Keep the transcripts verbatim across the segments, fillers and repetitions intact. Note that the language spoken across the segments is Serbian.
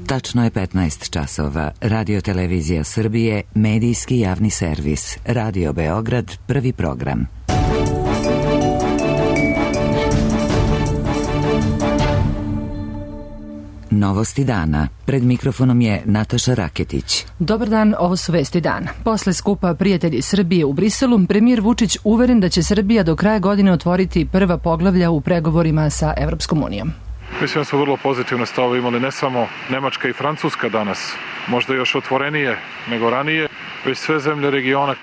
Tačno je petnaest časova. Radio Televizija Srbije, medijski javni servis. Radio Beograd, prvi program. Novosti dana. Pred mikrofonom je Nataša Raketić. Dobar dan, ovo su vesti dana. Posle skupa Prijatelji Srbije u Briselu, premijer Vučić uveren da će Srbija do kraja godine otvoriti prva poglavlja u pregovorima sa Evropskom unijom. Mislim da su vrlo pozitivne stavove imali ne samo Nemačka i Francuska danas, možda još otvorenije nego ranije, već sve zemlje regiona.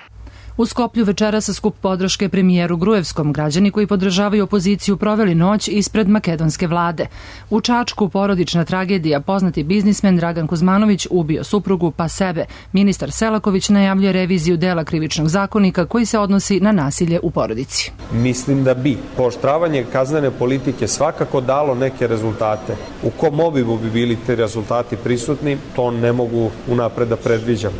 U Skoplju večera sa skup podrške premijeru Gruevskom, građani koji podržavaju opoziciju proveli noć ispred makedonske vlade. U Čačku porodična tragedija, poznati biznismen Dragan Kuzmanović ubio suprugu pa sebe. Ministar Selaković najavljuje reviziju dela krivičnog zakonika koji se odnosi na nasilje u porodici. Mislim da bi pooštravanje kaznene politike svakako dalo neke rezultate. U kom obimu bi bili te rezultati prisutni, to ne mogu unapred da predviđam.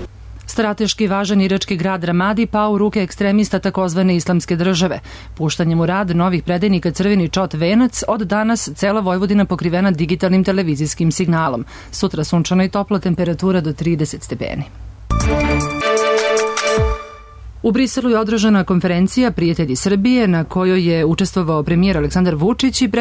Strateški važan irački grad Ramadi pao u ruke ekstremista takozvane islamske države. Puštanjem u rad novih predajnika Crveni čot Venac, od danas cela Vojvodina pokrivena digitalnim televizijskim signalom. Sutra sunčana i topla, temperatura do trideset stepeni. U Briselu je održana konferencija Prijatelji Srbije na kojoj je učestvovao premijer Aleksandar Vučić i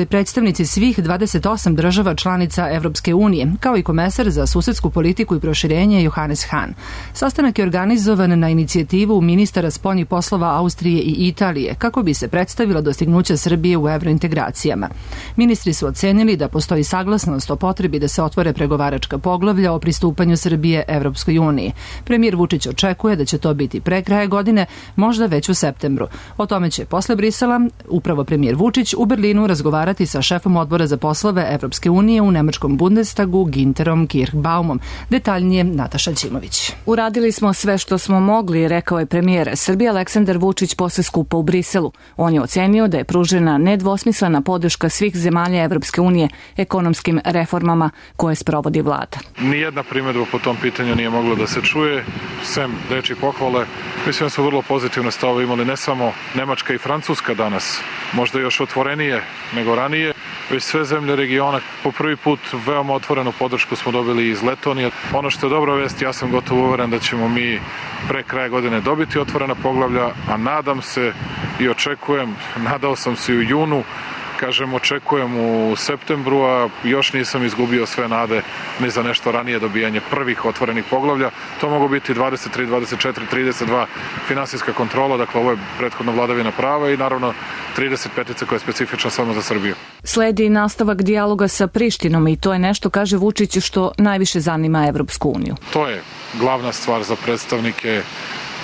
predstavnici svih dvadeset osam država članica Evropske unije, kao i komesar za susedsku politiku i proširenje Johannes Hahn. Sastanak je organizovan na inicijativu ministara spoljnih poslova Austrije i Italije, kako bi se predstavila dostignuća Srbije u evrointegracijama. Ministri su ocenili da postoji saglasnost o potrebi da se otvore pregovaračka poglavlja o pristupanju Srbije Evropskoj uniji. Premijer Vučić očekuje da će to biti pre kraja godine, možda već u septembru. O tome će posle Brisela upravo premijer Vučić u Berlinu razgovarati sa šefom odbora za poslove Evropske unije u nemačkom Bundestagu Ginterom Kirchbaumom. Detaljnije Nataša Ćimović. Uradili smo sve što smo mogli, rekao je premijer Srbije Aleksandar Vučić posle skupa u Briselu. On je ocenio da je pružena nedvosmislena podrška svih zemalja Evropske unije ekonomskim reformama koje sprovodi vlada. Nijedna primedba po tom pitanju nije mogla da se čuje, sem reči pohvale. Mislim da su vrlo pozitivne stavove imali ne samo Nemačka i Francuska danas, možda još otvorenije nego ranije, već sve zemlje regiona. Po prvi put veoma otvorenu podršku smo dobili iz Letonije. Ono što je dobra vest, ja sam gotovo uveren da ćemo mi pre kraja godine dobiti otvorena poglavlja, a nadam se i očekujem, nadao sam se u junu, kažem, očekujem u septembru, a još nisam izgubio sve nade ni za nešto ranije dobijanje prvih otvorenih poglavlja. To mogu biti dvadeset tri, dvadeset četiri, trideset dva finansijska kontrola, dakle ovo je prethodna vladavina prava i naravno trideset pet koja je specifična samo za Srbiju. Sledi nastavak dijaloga sa Prištinom i to je nešto, kaže Vučić, što najviše zanima Evropsku uniju. To je glavna stvar za predstavnike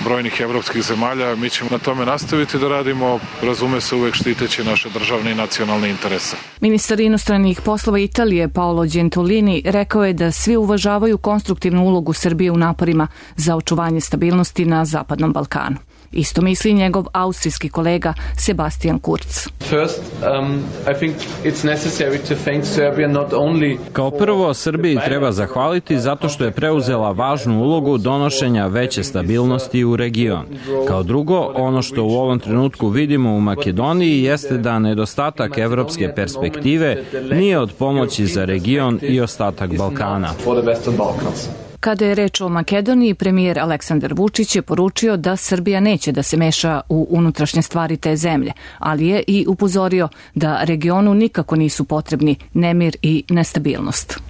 brojnih evropskih zemalja. Mi ćemo na tome nastaviti da radimo, razume se, uvek štiteći naše državne i nacionalne interese. Ministar inostranih poslova Italije Paolo Gentiloni rekao je da svi uvažavaju konstruktivnu ulogu Srbije u naporima za očuvanje stabilnosti na Zapadnom Balkanu. Isto misli njegov austrijski kolega Sebastian Kurz. Kao prvo, Srbiji treba zahvaliti zato što je preuzela važnu ulogu donošenja veće stabilnosti u region. Kao drugo, ono što u ovom trenutku vidimo u Makedoniji jeste da nedostatak evropske perspektive nije od pomoći za region i ostatak Balkana. Kada je reč o Makedoniji, premijer Aleksandar Vučić je poručio da Srbija neće da se meša u unutrašnje stvari te zemlje, ali je i upozorio da regionu nikako nisu potrebni nemir i nestabilnost.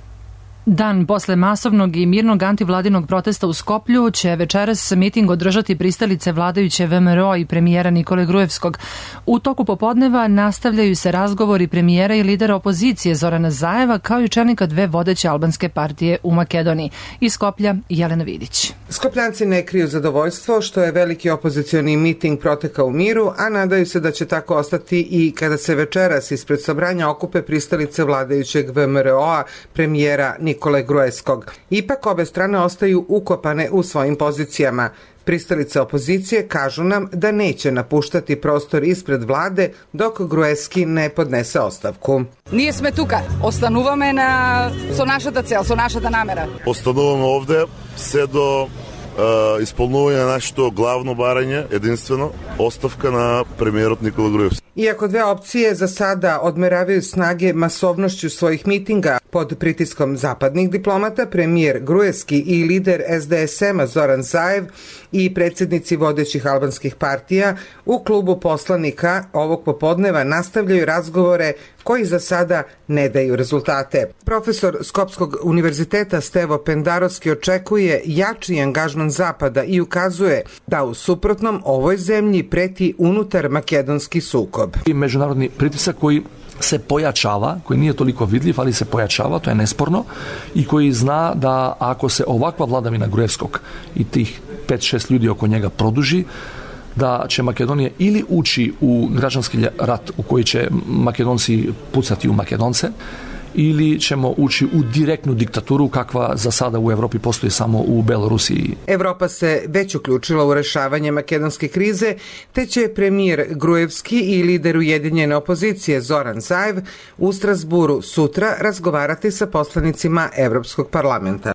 Dan posle masovnog i mirnog antivladinog protesta u Skoplju će večeras miting održati pristalice vladajuće V M R O i premijera Nikole Gruevskog. U toku popodneva nastavljaju se razgovori premijera i lidera opozicije Zorana Zajeva, kao i čelnika dve vodeće albanske partije u Makedoniji. Iz Skoplja Jelena Vidić. Skopljanci ne kriju zadovoljstvo što je veliki opozicioni miting protekao u miru, a nadaju se da će tako ostati i kada se večeras ispred sabranja okupe pristalice vladajućeg V M R O-a, premijera Nikole Gruevskog. Ipak obe strane ostaju ukopane u svojim pozicijama. Pristalice opozicije kažu nam da neće napuštati prostor ispred vlade dok Gruevski ne podnese ostavku. Ние сме тука, остануваме на со нашата цел, со нашата намера. Остануваме овде се до исполнување на нашето главно барање, единствено, оставка на премиерот Никола Груевски. Iako dve opcije za sada odmeravaju snage masovnošću svojih mitinga pod pritiskom zapadnih diplomata, premijer Gruevski i lider es de es ema Zoran Zaev i predsjednici vodećih albanskih partija u klubu poslanika ovog popodneva nastavljaju razgovore koji za sada ne daju rezultate. Profesor Skopskog univerziteta Stevo Pendarovski očekuje jači angažman Zapada i ukazuje da u suprotnom ovoj zemlji preti unutar makedonski sukob. Međunarodni pritisak koji se pojačava, koji nije toliko vidljiv, ali se pojačava, to je nesporno, i koji zna da ako se ovakva vladavina Gruevskog i tih pet šest ljudi oko njega produži, da će Makedonija ili ući u građanski rat u koji će Makedonci pucati u Makedonce, ili ćemo ući u direktnu diktaturu kakva za sada u Evropi postoji samo u Belorusiji. Evropa se već uključila u rešavanje makedonske krize, te će premijer Gruevski i lider ujedinjene opozicije Zoran Zaev u Strasburu sutra razgovarati sa poslanicima Evropskog parlamenta.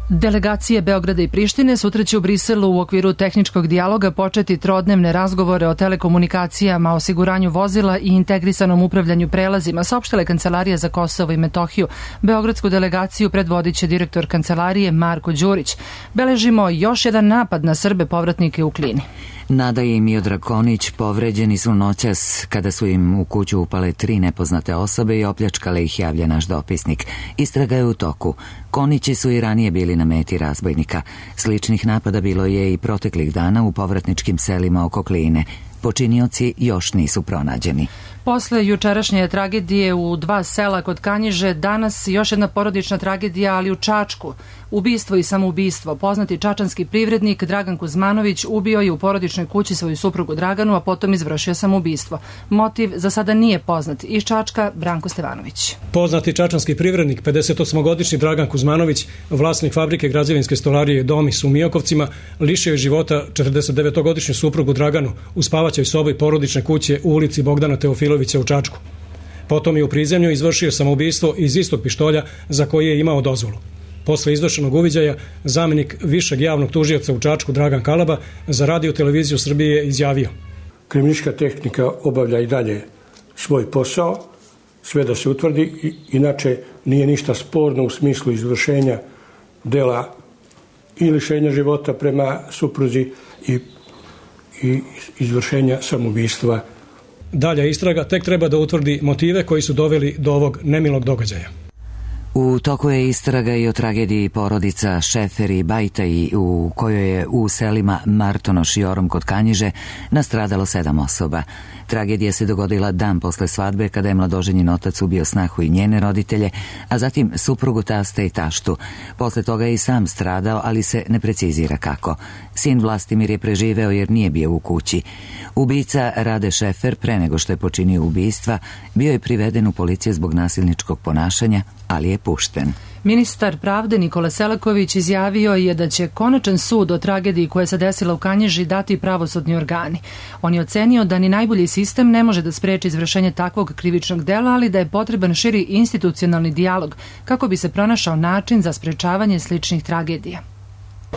Delegacije Beograda i Prištine sutra će u Briselu u okviru tehničkog dijaloga početi trodnevne razgovore o telekomunikacijama, osiguranju vozila i integrisanom upravljanju prelazima, saopštila je Kancelarija za Kosovo i Metohiju. Beogradsku delegaciju predvodit će direktor Kancelarije Marko Đurić. Beležimo još jedan napad na Srbe povratnike u Klini. Nada i Miodrag Konić povređeni su noćas kada su im u kuću upale tri nepoznate osobe i opljačkale ih, javlja naš dopisnik. Istraga je u toku. Konići su i ranije bili na meti razbojnika. Sličnih napada bilo je i proteklih dana u povratničkim selima oko Kline. Počinioci još nisu pronađeni. Posle jučerašnje tragedije u dva sela kod Kanjiže, danas još jedna porodična tragedija, ali u Čačku. Ubistvo i samoubistvo. Poznati čačanski privrednik Dragan Kuzmanović ubio je u porodičnoj kući svoju suprugu Draganu, a potom izvršio samoubistvo. Motiv za sada nije poznat. Iz Čačka, Branko Stevanović. Poznati čačanski privrednik, pedesetosmogodišnji Dragan Kuzmanović, vlasnik fabrike građevinske stolarije Domis u Mijokovcima, lišio je života četrdesetdevetogodišnju suprugu Draganu u spavaćoj sobi porodične kuće u ulici Bogdana Teofilovića u Čačku. Potom je u prizemlju izvršio samoubistvo iz istog pištolja za koji je imao dozvolu. Posle izvršenog uviđaja, zamenik višeg javnog tužioca u Čačku Dragan Kalaba za Radio televiziju Srbije izjavio: Kriminalistička tehnika obavlja i dalje svoj posao, sve da se utvrdi, inače nije ništa sporno u smislu izvršenja dela i lišenja života prema supruzi i, i izvršenja samoubistva. Dalja istraga tek treba da utvrdi motive koji su doveli do ovog nemilog događaja. U toku je istraga i o tragediji porodica Šefer i Bajtaj, u kojoj je u selima Martonoš i Orom kod Kanjiže nastradalo sedam osoba. Tragedija se dogodila dan posle svadbe kada je mladoženjen otac ubio snahu i njene roditelje, a zatim suprugu, tasta i taštu. Posle toga je i sam stradao, ali se ne precizira kako. Sin Vlastimir je preživeo jer nije bio u kući. Ubica Rade Šefer, pre nego što je počinio ubistva, bio je priveden u policiju zbog nasilničkog ponašanja, ali je pušten. Ministar pravde Nikola Selaković izjavio je da će konačan sud o tragediji koja se desila u Kanjiži dati pravosudni organi. On je ocenio da ni najbolji sistem ne može da spreči izvršenje takvog krivičnog dela, ali da je potreban širi institucionalni dijalog kako bi se pronašao način za sprečavanje sličnih tragedija.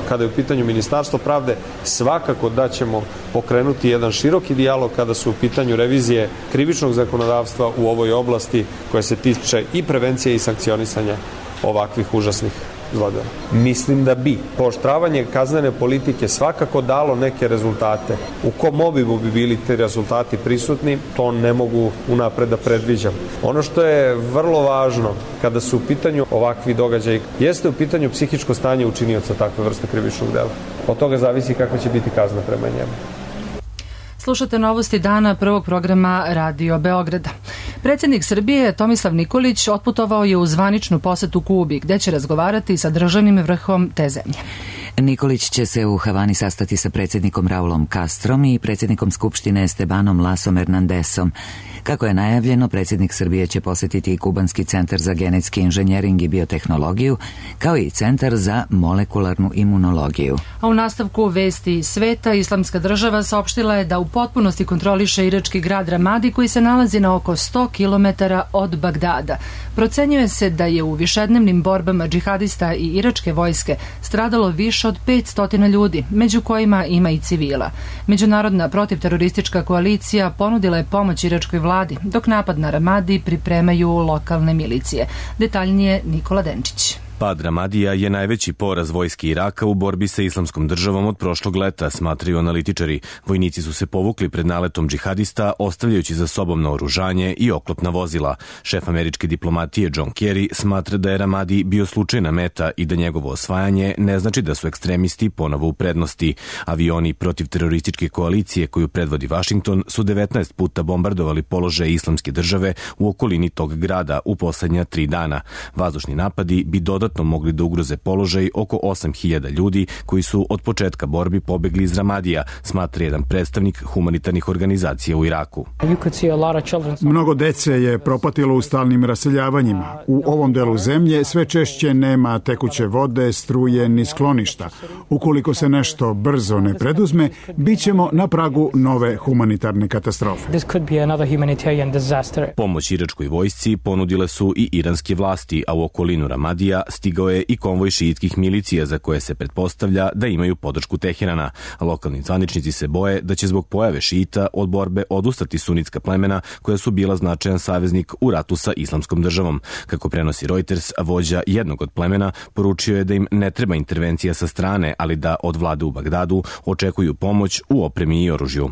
Kada je u pitanju Ministarstvo pravde, svakako da ćemo pokrenuti jedan široki dijalog kada su u pitanju revizije krivičnog zakonodavstva u ovoj oblasti koja se tiče i prevencije i sankcionisanja ovakvih užasnih zlodela. Mislim da bi pooštravanje kaznene politike svakako dalo neke rezultate. U kom obimu bi bili ti rezultati prisutni, to ne mogu unapred da predviđam. Ono što je vrlo važno kada su u pitanju ovakvi događaji, jeste u pitanju psihičko stanje učinioca takve vrste krivičnog dela. Od toga zavisi kakva će biti kazna prema njemu. Slušate novosti dana prvog programa Radio Beograda. Predsjednik Srbije Tomislav Nikolić otputovao je u zvaničnu posetu Kubi, gde će razgovarati sa državnim vrhom te zemlje. Nikolić će se u Havani sastati sa predsjednikom Raulom Castrom i predsjednikom Skupštine Estebanom Lasom Hernandesom. Kako je najavljeno, predsjednik Srbije će posjetiti i Kubanski centar za genetski inženjering i biotehnologiju, kao i centar za molekularnu imunologiju. A u nastavku vesti sveta, Islamska država saopštila je da u potpunosti kontroliše irački grad Ramadi, koji se nalazi na oko sto kilometara od Bagdada. Procenjuje se da je u višednevnim borbama džihadista i iračke vojske stradalo više od petsto ljudi, među kojima ima i civila. Međunarodna protivteroristička koalicija ponudila je pomoć iračkoj vladi, dok napad na Ramadi pripremaju lokalne milicije. Detaljnije Nikola Denčić. Pad Ramadija je najveći poraz vojske Iraka u borbi sa islamskom državom od prošlog leta, smatraju analitičari. Vojnici su se povukli pred naletom džihadista, ostavljajući za sobom naoružanje i oklopna vozila. Šef američke diplomatije John Kerry smatra da je Ramadi bio slučajna meta i da njegovo osvajanje ne znači da su ekstremisti ponovo u prednosti. Avioni protiv terorističke koalicije koju predvodi Vašington su devetnaest puta bombardovali položaje islamske države u okolini tog grada u poslednja tri dana. Vazdušni napadi bi dodatno mogli da ugroze položaj oko osam hiljada ljudi koji su od početka borbi pobegli iz Ramadija, smatra jedan predstavnik humanitarnih organizacija u Iraku. Mnogo dece je propatilo u stalnim raseljavanjima. U ovom delu zemlje sve češće nema tekuće vode, struje ni skloništa. Ukoliko se nešto brzo ne preduzme, bit ćemo na pragu nove humanitarne katastrofe. Pomoć iračkoj vojsci ponudile su i iranske vlasti, a u okolinu Ramadija stigao je i konvoj šiitskih milicija za koje se pretpostavlja da imaju podršku Teherana. Lokalni zvaničnici se boje da će zbog pojave šiita od borbe odustati sunitska plemena koja su bila značajan saveznik u ratu sa islamskom državom. Kako prenosi Reuters, vođa jednog od plemena poručio je da im ne treba intervencija sa strane, ali da od vlade u Bagdadu očekuju pomoć u opremi i oružju.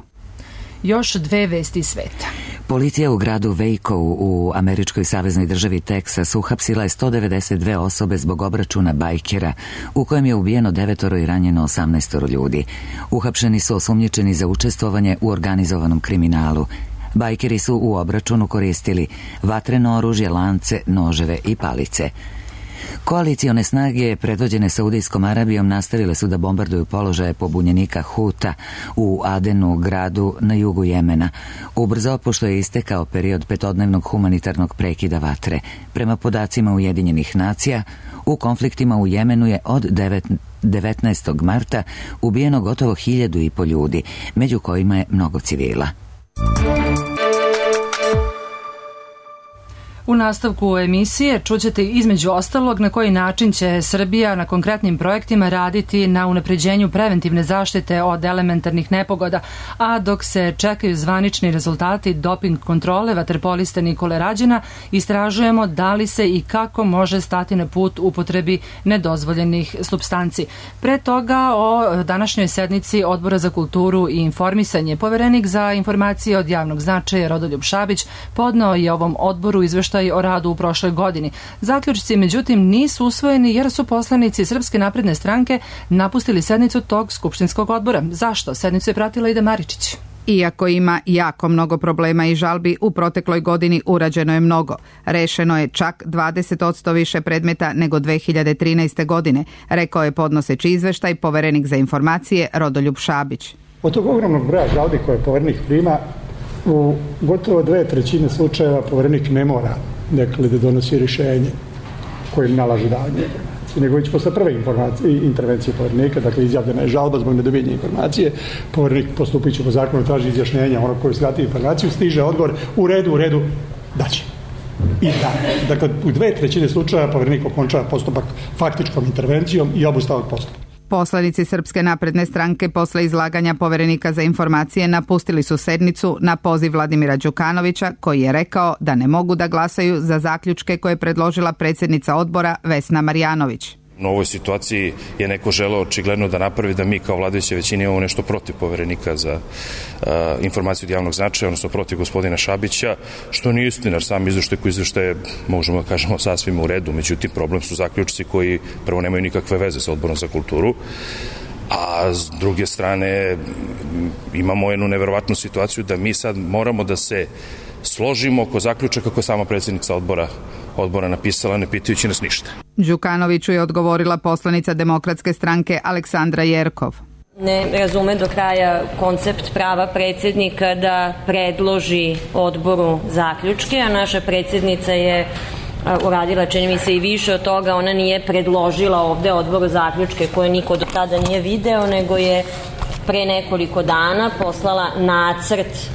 Još dve vesti sveta. Policija u gradu Waco u američkoj saveznoj državi Teksas uhapsila je sto devedeset dve osobe zbog obračuna bajkera u kojem je ubijeno devetoro i ranjeno osamnaestoro ljudi. Uhapšeni su osumnjičeni za učestvovanje u organizovanom kriminalu. Bajkeri su u obračunu koristili vatreno oružje, lance, noževe i palice. Koalicione snage predvođene Saudijskom Arabijom nastavile su da bombarduju položaje pobunjenika Huta u Adenu, gradu na jugu Jemena, ubrzo pošto je istekao period petodnevnog humanitarnog prekida vatre. Prema podacima Ujedinjenih nacija, u konfliktima u Jemenu je od devetnaestog marta ubijeno gotovo hiljadu i po ljudi, među kojima je mnogo civila. U nastavku emisije čućete između ostalog na koji način će Srbija na konkretnim projektima raditi na unapređenju preventivne zaštite od elementarnih nepogoda, a dok se čekaju zvanični rezultati doping kontrole vaterpolista Nikole Rađena, istražujemo da li se i kako može stati na put upotrebi nedozvoljenih supstanci. Pre toga o današnjoj sednici Odbora za kulturu i informisanje. Poverenik za informacije od javnog značaja Rodoljub Šabić podneo je ovom odboru izveštaj o radu u prošloj godini. Zaključci, međutim, nisu usvojeni jer su poslanici Srpske napredne stranke napustili sednicu tog skupštinskog odbora. Zašto? Sednicu je pratila Ida Maričić. Iako ima jako mnogo problema i žalbi, u protekloj godini urađeno je mnogo. Rešeno je čak dvadeset posto više predmeta nego dve hiljade trinaeste. godine, rekao je podnoseći izveštaj poverenik za informacije Rodoljub Šabić. Od tog ogromnog broja žalbi koje poverenik prima, u gotovo dve trećine slučajeva poverenik ne mora dakle, da donosi rješenje kojim nalaže davanje informacije, nego već posle prve intervencije poverenika, dakle izjavljena je žalba zbog nedobijenja informacije, poverenik postupiće po zakonu, traži izjašnjenja onog koji skrati informaciju, stiže odgovor u redu, u redu, daće. I da. Dakle, u dve trećine slučajeva poverenik okončava postupak faktičkom intervencijom i obustavom postupka. Poslanici Srpske napredne stranke posle izlaganja poverenika za informacije napustili su sednicu na poziv Vladimira Đukanovića, koji je rekao da ne mogu da glasaju za zaključke koje je predložila predsjednica odbora Vesna Marjanović. U ovoj situaciji je neko želeo očigledno da napravi da mi kao vladajuća većina imamo nešto protiv poverenika za uh, informaciju od javnog značaja, odnosno protiv gospodina Šabića, što nije istina, jer sam izveštaj koji izveštaj možemo da kažemo sasvim u redu, međutim problem su zaključci koji prvo nemaju nikakve veze sa Odborom za kulturu, a s druge strane imamo jednu neverovatnu situaciju da mi sad moramo da se složimo oko zaključaka kako je sama predsjednica odbora odbora napisala, ne pitajući nas ništa. Đukanoviću je odgovorila poslanica Demokratske stranke Aleksandra Jerkov. Ne razume do kraja koncept prava predsjednika da predloži odboru zaključke, a naša predsjednica je uradila, čini mi se, i više od toga. Ona nije predložila ovde odboru zaključke koje niko do tada nije video, nego je pre nekoliko dana poslala nacrt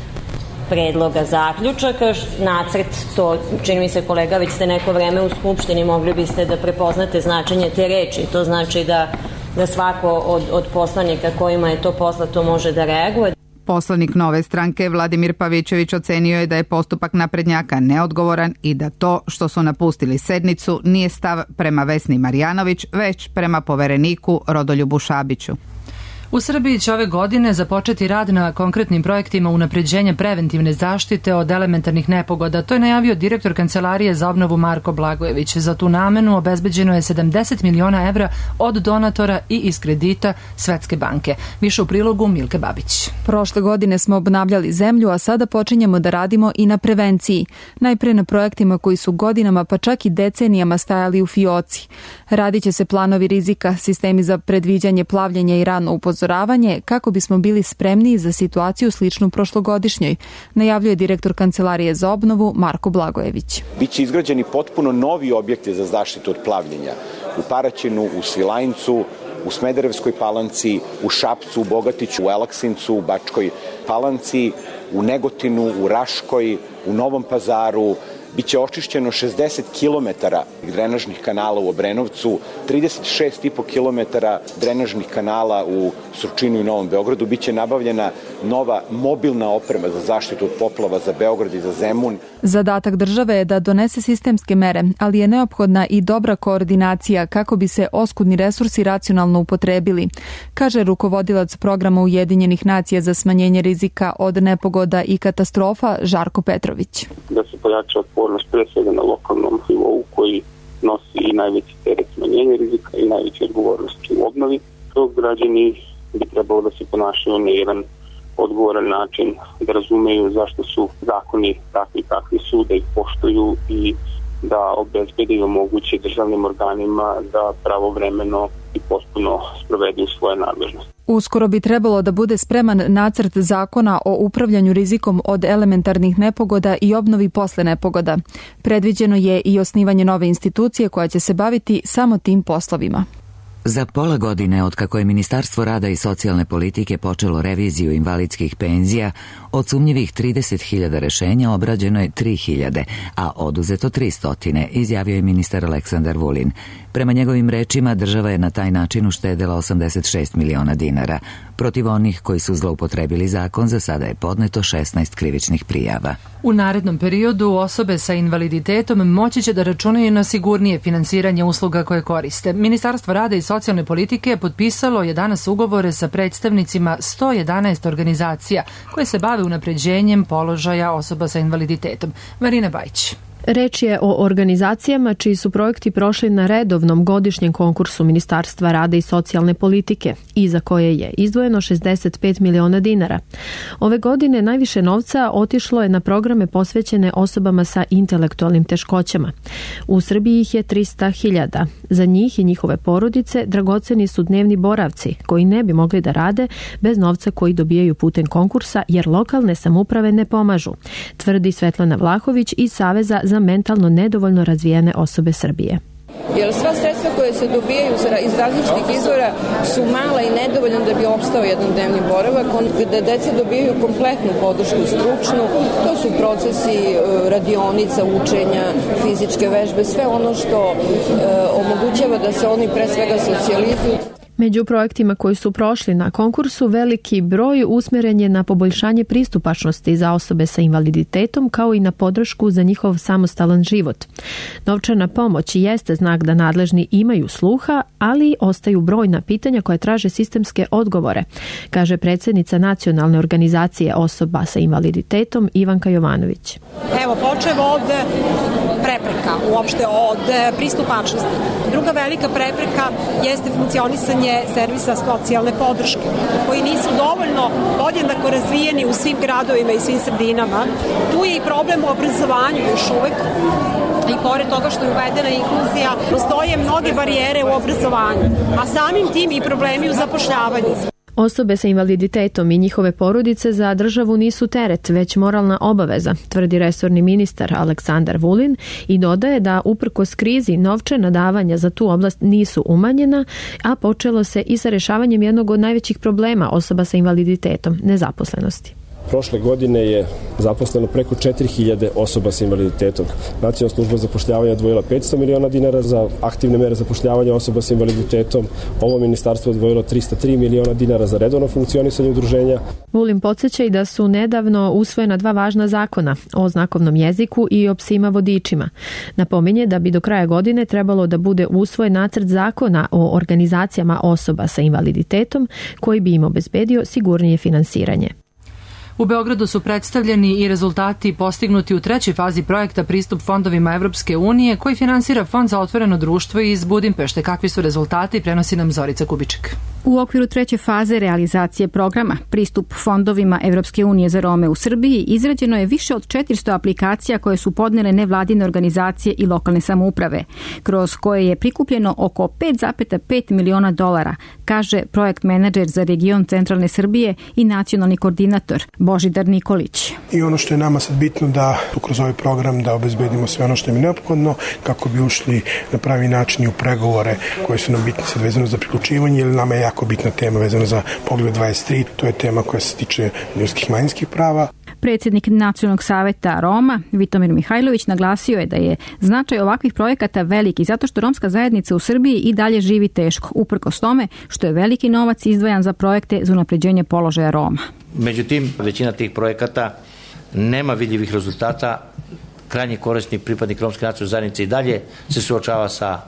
predloga zaključaka. Nacrt, to čini mi se, kolega, već ste neko vreme u Skupštini, mogli biste da prepoznate značenje te reči. To znači da da svako od, od poslanika kojima je to poslato može da reaguje. Poslanik Nove stranke Vladimir Pavićević ocenio je da je postupak naprednjaka neodgovoran i da to što su napustili sednicu nije stav prema Vesni Marjanović, već prema povereniku Rodoljubu Šabiću. U Srbiji će ove godine započeti rad na konkretnim projektima unapređenja preventivne zaštite od elementarnih nepogoda. To je najavio direktor Kancelarije za obnovu Marko Blagojević. Za tu namenu obezbeđeno je sedamdeset miliona evra od donatora i iz kredita Svetske banke. Više u prilogu Milke Babić. Prošle godine smo obnavljali zemlju, a sada počinjemo da radimo i na prevenciji. Najpre na projektima koji su godinama pa čak i decenijama stajali u fioci. Radit će se planovi rizika, sistemi za predviđanje plavljenja i rano upozoravanje kako bismo bili spremniji za situaciju sličnu prošlogodišnjoj, najavljuje direktor Kancelarije za obnovu Marko Blagojević. Biće izgrađeni potpuno novi objekti za zaštitu od plavljenja u Paraćinu, u Svilajncu, u Smederevskoj Palanci, u Šapcu, u Bogatiću, u Elaksincu, u Bačkoj Palanci, u Negotinu, u Raškoj, u Novom Pazaru. Biće očišćeno šezdeset kilometara drenažnih kanala u Obrenovcu, trideset šest i po kilometara drenažnih kanala u Surčinu i Novom Beogradu. Biće nabavljena nova mobilna oprema za zaštitu od poplava za Beograd i za Zemun. Zadatak države je da donese sistemske mere, ali je neophodna i dobra koordinacija kako bi se oskudni resursi racionalno upotrebili, kaže rukovodilac programa Ujedinjenih nacija za smanjenje rizika od nepogoda i katastrofa Žarko Petrović. Da se pojača otpornost pre svega na lokalnom nivou koji nosi i najveći teret smanjenja rizika i najveće odgovornosti u obnovi. To građani bi trebalo da se ponašaju na jedan odgovoran način, da razumeju zašto su zakoni takvi kakvi su, da ih poštuju i da obezbede i omoguće državnim organima da pravovremeno i potpuno sprovedu svoje nadležnosti. Uskoro bi trebalo da bude spreman nacrt zakona o upravljanju rizikom od elementarnih nepogoda i obnovi posle nepogoda. Predviđeno je i osnivanje nove institucije koja će se baviti samo tim poslovima. Za pola godine od kako je Ministarstvo rada i socijalne politike počelo reviziju invalidskih penzija, od sumnjivih trideset hiljada rešenja obrađeno je tri hiljade, a oduzeto tristo, izjavio je ministar Aleksandar Vulin. Prema njegovim rečima, država je na taj način uštedela osamdeset šest miliona dinara. Protiv onih koji su zloupotrebili zakon za sada je podneto šesnaest krivičnih prijava. U narednom periodu osobe sa invaliditetom moći će da računaju na sigurnije finansiranje usluga koje koriste. Ministarstvo rada i socijalne politike potpisalo je danas ugovore sa predstavnicima sto jedanaest organizacija koje se bave unapređenjem položaja osoba sa invaliditetom. Marina Bajić. Reč je o organizacijama čiji su projekti prošli na redovnom godišnjem konkursu Ministarstva rada i socijalne politike i za koje je izdvojeno šezdeset pet miliona dinara. Ove godine najviše novca otišlo je na programe posvećene osobama sa intelektualnim teškoćama. U Srbiji ih je trista hiljada. Za njih i njihove porodice dragoceni su dnevni boravci koji ne bi mogli da rade bez novca koji dobijaju putem konkursa jer lokalne samouprave ne pomažu, tvrdi Svetlana Vlahović iz Saveza za mentalno nedovoljno razvijene osobe Srbije. Jer sva sredstva koje se dobijaju iz različitih izvora su mala i nedovoljna da bi opstao jedan dnevni boravak, gde deca dobijaju kompletnu podršku stručnu, to su procesi radionica, učenja, fizičke vežbe, sve ono što omogućava da se oni pre svega socijalizuju. Među projektima koji su prošli na konkursu veliki broj usmeren je na poboljšanje pristupačnosti za osobe sa invaliditetom kao i na podršku za njihov samostalan život. Novčana pomoć jeste znak da nadležni imaju sluha, ali ostaju brojna pitanja koje traže sistemske odgovore, kaže predsjednica Nacionalne organizacije osoba sa invaliditetom Ivanka Jovanović. Evo, počev od prepreka, uopšte od pristupačnosti. Druga velika prepreka jeste funkcionisanje servisa socijalne podrške, koji nisu dovoljno podjednako razvijeni u svim gradovima i svim sredinama. Tu je i problem u obrazovanju još uvek. I pored toga što je uvedena inkluzija, postoje mnoge barijere u obrazovanju, a samim tim i problemi u zapošljavanju. Osobe sa invaliditetom i njihove porodice za državu nisu teret, već moralna obaveza, tvrdi resorni ministar Aleksandar Vulin i dodaje da uprkos krizi novčana davanja za tu oblast nisu umanjena, a počelo se i sa rešavanjem jednog od najvećih problema osoba sa invaliditetom, nezaposlenosti. Prošle godine je zaposleno preko četiri hiljade osoba sa invaliditetom. Nacionalna služba zapošljavanja je odvojila petsto miliona dinara za aktivne mere zapošljavanja osoba sa invaliditetom. Ovo ministarstvo je odvojilo trista tri miliona dinara za redovno funkcionisanje udruženja. Vulin podsjeća i da su nedavno usvojena dva važna zakona o znakovnom jeziku i o psima vodičima. Napominje da bi do kraja godine trebalo da bude usvojen nacrt zakona o organizacijama osoba sa invaliditetom koji bi im obezbedio sigurnije finansiranje. U Beogradu su predstavljeni i rezultati postignuti u trećoj fazi projekta Pristup fondovima Evropske unije koji finansira Fond za otvoreno društvo iz Budimpešte. Kakvi su rezultati, prenosi nam Zorica Kubiček. U okviru treće faze realizacije programa Pristup fondovima Evropske unije za Rome u Srbiji izrađeno je više od četiristo aplikacija koje su podnele nevladine organizacije i lokalne samouprave, kroz koje je prikupljeno oko pet zarez pet miliona dolara, kaže projekt menadžer za region centralne Srbije i nacionalni koordinator Božidar Nikolić. I ono što je nama sad bitno da kroz ovaj program da obezbedimo sve ono što je neophodno kako bi ušli na pravi način i u pregovore koje su nam bitne sad vezano za priključivanje, jer nama je jako bitna tema vezano za Poglavlje dvadeset tri, to je tema koja se tiče ljudskih manjinskih prava. Predsjednik Nacionalnog saveta Roma, Vitomir Mihajlović, naglasio je da je značaj ovakvih projekata veliki zato što romska zajednica u Srbiji i dalje živi teško, uprkos tome što je veliki novac izdvajan za projekte za unapređenje položaja Roma. Međutim, većina tih projekata nema vidljivih rezultata. Krajnji korisnik, pripadnik romske nacionalne zajednice i dalje se suočava sa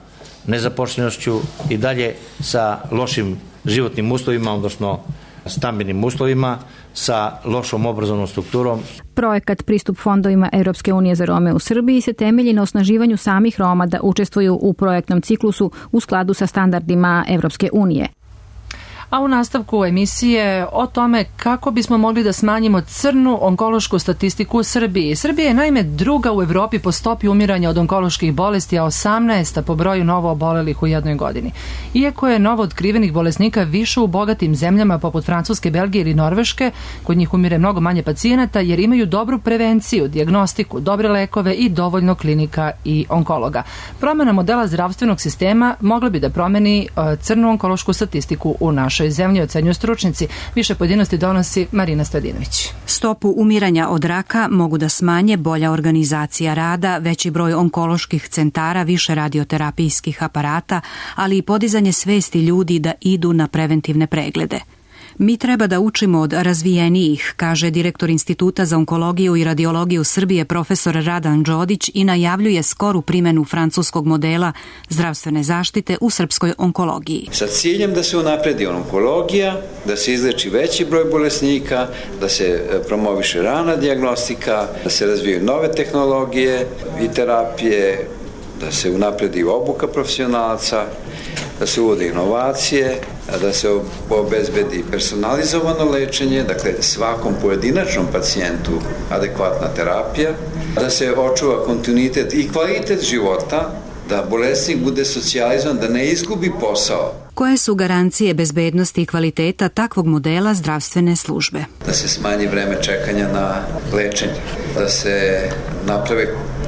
nezaposlenošću i dalje sa lošim životnim uslovima, odnosno stambenim uslovima, sa lošom obrazovnom strukturom. Projekat Pristup fondovima Evropske unije za Rome u Srbiji se temelji na osnaživanju samih Roma da učestvuju u projektnom ciklusu u skladu sa standardima Evropske unije. A u nastavku emisije o tome kako bismo mogli da smanjimo crnu onkološku statistiku u Srbiji. Srbija je naime druga u Evropi po stopi umiranja od onkoloških bolesti, a osamnaesta po broju novo obolelih u jednoj godini. Iako je novo otkrivenih bolesnika više u bogatim zemljama poput Francuske, Belgije ili Norveške, kod njih umire mnogo manje pacijenata jer imaju dobru prevenciju, dijagnostiku, dobre lekove i dovoljno klinika i onkologa. Promjena modela zdravstvenog sistema mogla bi da promeni crnu onkološku statistiku u našoj zemlji, ocenjuju stručnici. Više pojedinosti donosi Marina Stojadinović. Stopu umiranja od raka mogu da smanje bolja organizacija rada, veći broj onkoloških centara, više radioterapijskih aparata, ali i podizanje svesti ljudi da idu na preventivne preglede. Mi treba da učimo od razvijenijih, kaže direktor Instituta za onkologiju i radiologiju Srbije profesor Radan Đodić i najavljuje skoru primjenu francuskog modela zdravstvene zaštite u srpskoj onkologiji. Sa ciljem da se unapredi onkologija, da se izleči veći broj bolesnika, da se promoviše rana dijagnostika, da se razvijaju nove tehnologije i terapije, da se unapredi obuka profesionalaca, da se uvode inovacije, da se obezbedi personalizovano lečenje, dakle svakom pojedinačnom pacijentu adekvatna terapija, da se očuva kontinuitet i kvalitet života, da bolesnik bude socijalizovan, da ne izgubi posao. Koje su garancije bezbednosti i kvaliteta takvog modela zdravstvene službe? Da se smanji vreme čekanja na lečenje, da se naprave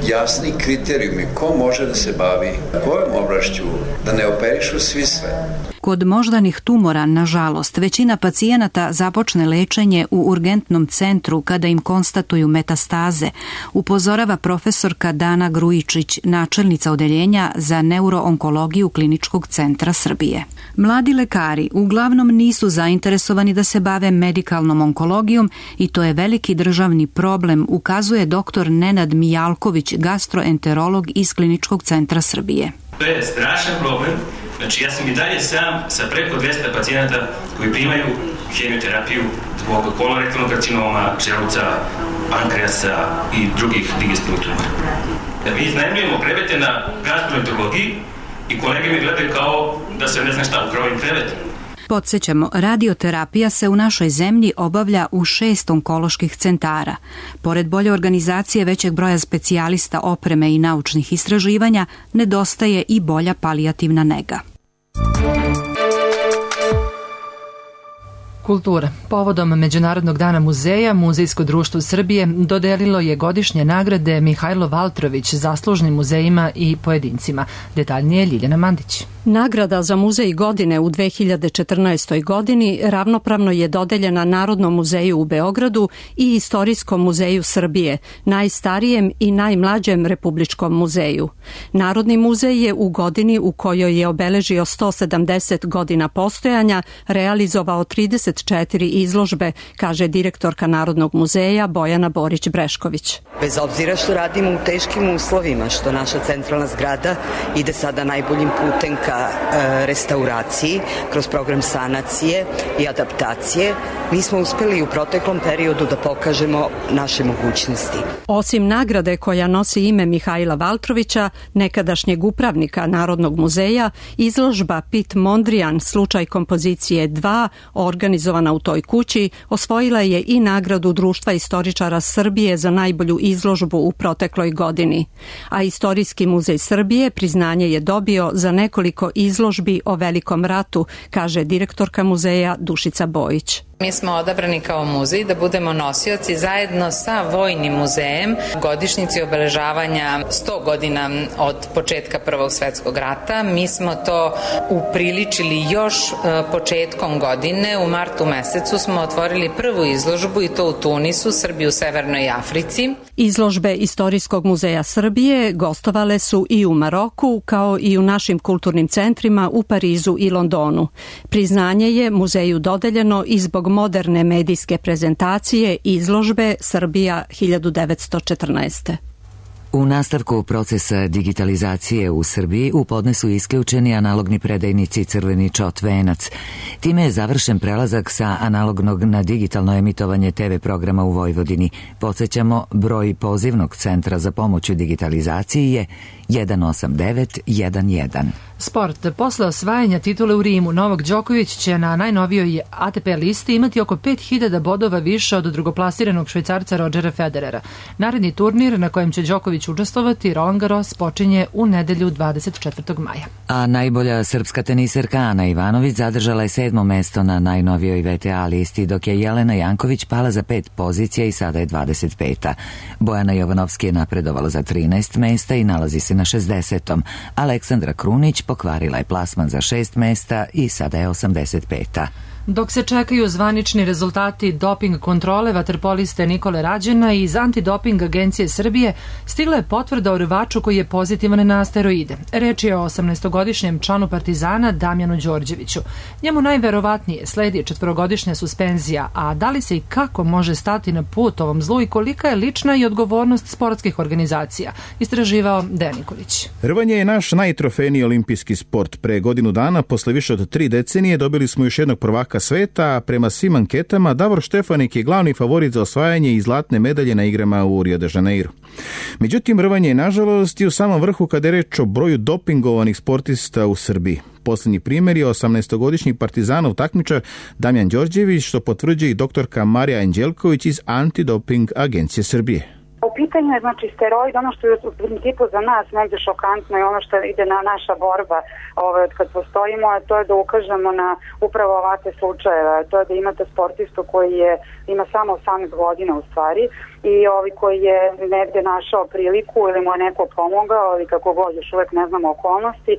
jasni kriterijumi ko može da se bavi kojom oblašću, da ne operišu svi sve. Kod moždanih tumora, nažalost, većina pacijenata započne lečenje u urgentnom centru kada im konstatuju metastaze, upozorava profesorka Dana Grujičić, načelnica odeljenja za neuroonkologiju Kliničkog centra Srbije. Mladi lekari uglavnom nisu zainteresovani da se bave medikalnom onkologijom i to je veliki državni problem, ukazuje doktor Nenad Mijalković, gastroenterolog iz Kliničkog centra Srbije. To je strašan problem. Znači, ja sam i dalje sam sa preko dvesta pacijenata koji primaju hemioterapiju zbog kolorektalnog karcinoma, želuca, pankreasa i drugih digestivnih tumora. Da mi iznajmljujemo krevete na gastroenterologiji i kolege mi gledaju kao da se ne zna šta upravo im krevet. Podsjećamo, radioterapija se u našoj zemlji obavlja u šest onkoloških centara. Pored bolje organizacije većeg broja specijalista, opreme i naučnih istraživanja, nedostaje i bolja palijativna nega. Kultura. Povodom Međunarodnog dana muzeja, Muzejsko društvo Srbije dodelilo je godišnje nagrade Mihajlo Valtrović zaslužnim muzejima i pojedincima. Detaljnije Ljiljana Mandić. Nagrada za muzej godine u dve hiljade četrnaestoj. godini ravnopravno je dodeljena Narodnom muzeju u Beogradu i Istorijskom muzeju Srbije, najstarijem i najmlađem republičkom muzeju. Narodni muzej je u godini u kojoj je obeležio sto sedamdeset godina postojanja realizovao trideset četiri izložbe, kaže direktorka Narodnog muzeja Bojana Borić-Brešković. Bez obzira što radimo u teškim uslovima, što naša centralna zgrada ide sada najboljim putem ka restauraciji, kroz program sanacije i adaptacije, mi smo uspeli u proteklom periodu da pokažemo naše mogućnosti. Osim nagrade koja nosi ime Mihajla Valtrovića, nekadašnjeg upravnika Narodnog muzeja, izložba Pit Mondrian, slučaj kompozicije dva, organizovana u toj kući, osvojila je i nagradu Društva istoričara Srbije za najbolju izložbu u protekloj godini. A Istorijski muzej Srbije priznanje je dobio za nekoliko izložbi o Velikom ratu, kaže direktorka muzeja Dušica Bojić. Mi smo odabrani kao muzej da budemo nosioci zajedno sa Vojnim muzejem godišnjici obeležavanja sto godina od početka Prvog svetskog rata. Mi smo to upriličili još početkom godine. U martu mesecu smo otvorili prvu izložbu i to u Tunisu, Srbiji u Severnoj Africi. Izložbe Istorijskog muzeja Srbije gostovale su i u Maroku, kao i u našim kulturnim centrima u Parizu i Londonu. Priznanje je muzeju dodeljeno i zbog moderne medijske prezentacije izložbe Srbija hiljadu devetsto četrnaeste. U nastavku procesa digitalizacije u Srbiji u podnesu isključeni analogni predajnici Crveni čot Venac. Time je završen prelazak sa analognog na digitalno emitovanje te ve programa u Vojvodini. Podsjećamo, broj pozivnog centra za pomoć u digitalizaciji je jedan osam devet jedan jedan. Sport. Posle osvajanja titule u Rimu, Novak Đoković će na najnovijoj A T P listi imati oko pet hiljada bodova više od drugoplasiranog Švajcarca Rodgera Federera. Naredni turnir na kojem će Đoković učestvovati, Roland Garros, počinje u nedelju dvadeset četvrtog maja. A najbolja srpska teniserka Ana Ivanović zadržala je sedmo mesto na najnovijoj V T A listi, dok je Jelena Janković pala za pet pozicija i sada je dvadeset peta. Bojana Jovanovski je napredovala za trinaest mesta i nalazi se na šezdesetom. Aleksandra Krunić pokvarila je plasman za šest mesta i sada je osamdeset peta. Dok se čekaju zvanični rezultati doping kontrole vaterpoliste Nikole Rađena iz Antidoping agencije Srbije, stigla je potvrda o rvaču koji je pozitivan na steroide. Reč je o osamnaestogodišnjem članu Partizana Damjanu Đorđeviću. Njemu najverovatnije sledi četvorogodišnja suspenzija, a da li se i kako može stati na put ovom zlu i kolika je lična i odgovornost sportskih organizacija, istraživao Dejan Nikolić. Rvanje je naš najtrofejniji olimpijski sport. Pre godinu dana, posle više od tri decenije, dobili smo još jednog prvaka sveta, a prema svim anketama Davor Štefanik je glavni favorit za osvajanje i zlatne medalje na igrama u Rio de Janeiro. Međutim, rvanje je nažalost i u samom vrhu kada je reč o broju dopingovanih sportista u Srbiji. Posljednji primjer je osamnaestogodišnji Partizanov takmičar Damjan Đorđević, što potvrđuje i doktorka Marija Anđelković iz Antidoping agencije Srbije. U pitanju je znači steroid, ono što je u principu za nas negdje šokantno i ono što ide na naša borba ove, od kad postojimo, a to je da ukažemo na upravo ovakve slučajeve, to je da imate sportistu koji je, ima samo osamnaest godina u stvari i ovi koji je negdje našao priliku ili mu je neko pomogao ili kako god, još uvek ne znamo okolnosti,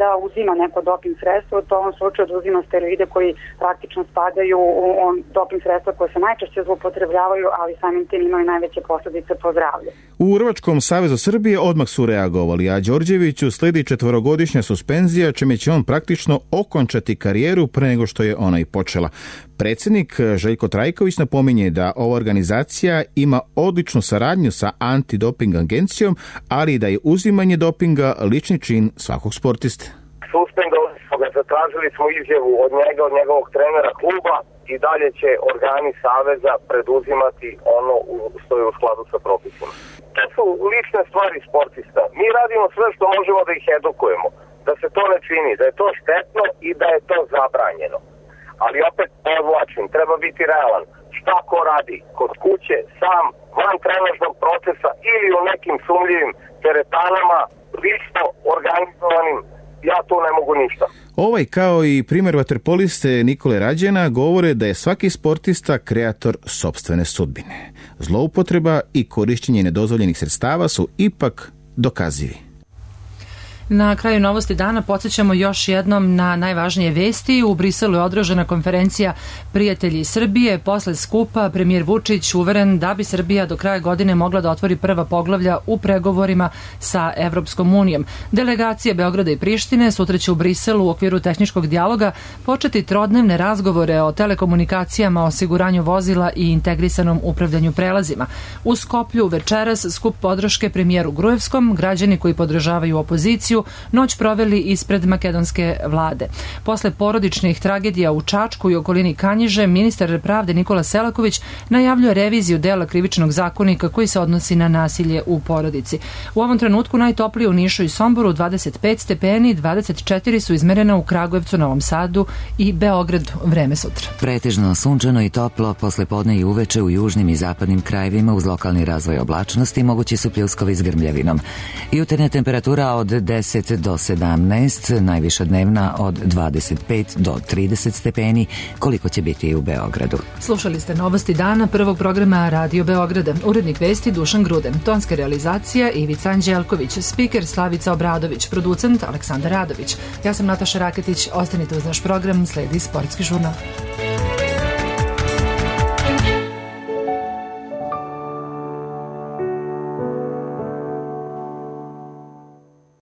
da uzima neko doping sredstvo, to u ovom slučaju da uzima steroide koji praktično spadaju u on, doping sredstva koje se najčešće zloupotrebljavaju, ali samim tim imaju najveće posljedice po zdravlje. U Rvačkom savezu Srbije odmah su reagovali, a Đorđeviću sledi četvorogodišnja suspenzija, čime će on praktično okončati karijeru pre nego što je ona i počela. Predsjednik Željko Trajković napominje da ova organizacija ima odličnu saradnju sa Antidoping agencijom, ali i da je uzimanje dopinga lični čin svakog sportiste. Suspendovali smo ga, zatražili smo izjavu od njega, od njegovog trenera kluba i dalje će organi saveza preduzimati ono što je u skladu sa propisima. To su lične stvari sportista. Mi radimo sve što možemo da ih edukujemo, da se to ne čini, da je to štetno i da je to zabranjeno. Ali opet podvlačim, treba biti realan. Šta ko radi? Kod kuće, sam, van trenažnog procesa ili u nekim sumljivim teretanama, lično organizovanim, ja tu ne mogu ništa. Ovaj kao i primjer vaterpoliste Nikole Rađena govore da je svaki sportista kreator sopstvene sudbine. Zloupotreba i korišćenje nedozvoljenih sredstava su ipak dokazivi. Na kraju novosti dana podsjećamo još jednom na najvažnije vesti. U Briselu je održana konferencija Prijatelji Srbije. Posle skupa premijer Vučić uveren da bi Srbija do kraja godine mogla da otvori prva poglavlja u pregovorima sa Evropskom unijom. Delegacije Beograda i Prištine sutra će u Briselu u okviru tehničkog dijaloga početi trodnevne razgovore o telekomunikacijama, osiguranju vozila i integrisanom upravljanju prelazima. U Skoplju večeras skup podrške premijeru Gruevskom, građani koji podržavaju opoziciju noć proveli ispred makedonske vlade. Posle porodičnih tragedija u Čačku i okolini Kanjiže, ministar pravde Nikola Selaković najavljuje reviziju dela krivičnog zakonika koji se odnosi na nasilje u porodici. U ovom trenutku najtoplije u Nišu i Somboru dvadeset pet stepeni, dvadeset četiri su izmerena u Kragujevcu, Novom Sadu i Beogradu. Vreme sutra. Pretežno sunčano i toplo, posle podne i uveče u južnim i zapadnim krajevima uz lokalni razvoj oblačnosti mogući su pljuskovi s grmljavinom. Jutarnja temperatura od deset do sedamnaest, najviša dnevna od dvadeset pet do trideset stepeni, koliko će biti i u Beogradu. Slušali ste novosti dana prvog programa Radio Beograda. Urednik vesti Dušan Gruden, tonska realizacija Ivica Anđelković, spiker Slavica Obradović, producent Aleksandar Radović. Ja sam Nataša Raketić, ostanite uz naš program, sledi sportski žurnal.